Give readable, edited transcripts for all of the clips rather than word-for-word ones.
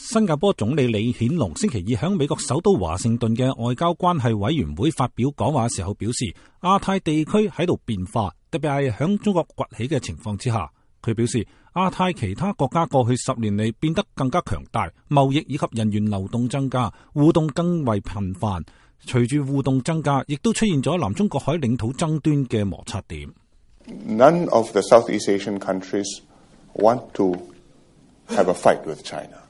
新加坡總理李顯龍星期二喺美國首都華盛頓嘅外交關係委員會發表講話嘅時候表示，亞太地區喺度變化，特別係喺中國崛起嘅情況之下。佢表示，亞太其他國家過去10年嚟變得更加強大，貿易以及人員流動增加，互動更為頻繁。隨住互動增加，亦都出現咗南中國海領土爭端嘅摩擦點。None of the Southeast Asian countries want to have a fight with China.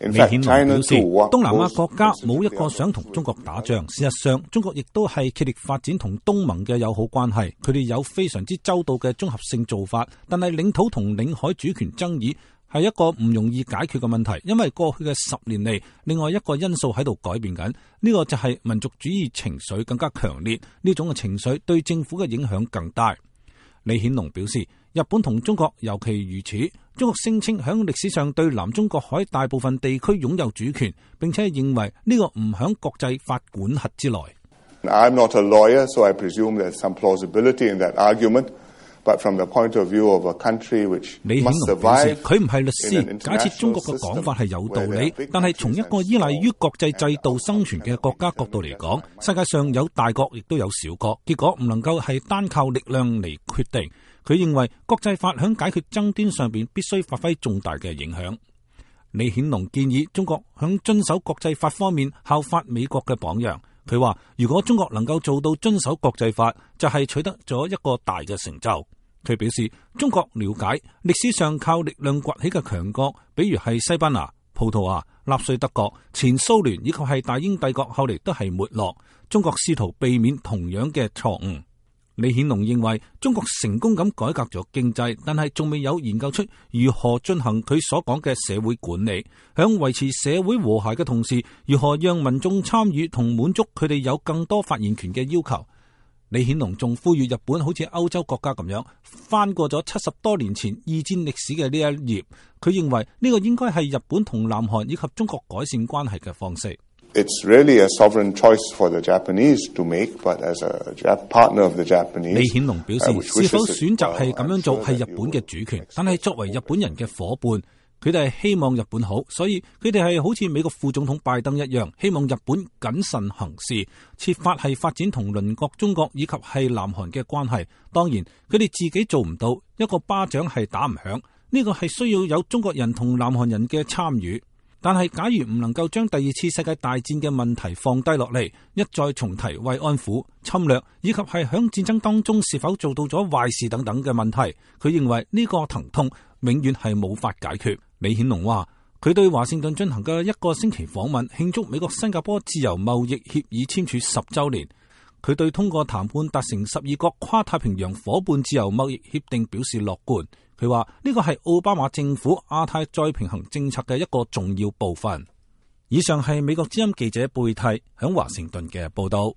李顯龍表示，東南亞國家冇一個想同中國打仗。事實上，中國亦都係竭力發展同東盟嘅友好關係。佢哋有非常之周到嘅綜合性做法，但係領土同領海主權爭議係一個唔容易解決嘅問題。因為過去嘅10年嚟，另外一個因素喺度改變緊，呢個就係民族主義情緒更加強烈。呢種嘅情緒對政府嘅影響更大。李顯龍表示，日本同中國尤其如此。中國聲稱響歷史上對南中國海大部分地區擁有主權，並且認為呢個唔響國際法管轄之內。I'm not a lawyer, so I presume there's some plausibility in that argument. But from the point of view of a country which must survive，佢唔係律師，假設中國嘅講法係有道理，但係從一個依賴於國際制度生存嘅國家角度嚟講，世界上有大國亦都有小國，結果唔能夠係單靠力量嚟決定。佢認為國際法響解決爭端上邊必須發揮重大嘅影響。李顯龍建議中國響遵守國際法方面效法美國嘅榜樣。佢話如果中國能夠做到遵守國際法，就係取得咗一個大嘅成就。佢表示，中國了解歷史上靠力量崛起嘅強國，比如係西班牙、葡萄牙、納粹德國、前蘇聯以及係大英帝國，後嚟都係沒落。中國試圖避免同樣嘅錯誤。李顯龍認為中國成功咁改革咗經濟，但係仲未有研究出如何進行佢所講嘅社會管理，響維持社會和諧嘅同時，如何讓民眾參與同滿足佢哋有更多發言權嘅要求。李顯龍仲呼籲日本好似歐洲國家咁樣翻過咗70多年前二戰歷史嘅呢一頁。佢認為呢個應該係日本同南韓以及中國改善關係嘅方式。It's really a sovereign choice for the Japanese to make, but as a partner of the Japanese， 李顯龍表示，是否選擇係咁樣做係日本嘅主權，但係作為日本人嘅伙伴，佢哋係希望日本好，所以佢哋係好似美國副總統拜登一樣，希望日本謹慎行事，設法係發展同鄰國中國以及係南韓嘅關係。當然，佢哋自己做唔到，一個巴掌係打唔響，呢個係需要有中國人同南韓人嘅參與。但係假如唔能夠將第二次世界大戰嘅問題放低落嚟，一再重提慰安婦、侵略以及係響戰爭當中是否做到咗壞事等等嘅問題，佢認為呢個疼痛永遠係冇法解決。李顯龍話，佢對華盛頓進行嘅1個星期訪問，慶祝美國新加坡自由貿易協議簽署10週年。佢對通過談判達成12國跨太平洋夥伴自由貿易協定表示樂觀。佢話呢個係奧巴馬政府亞太再平衡政策嘅一個重要部分。以上係美國之音記者貝蒂響華盛頓嘅報道。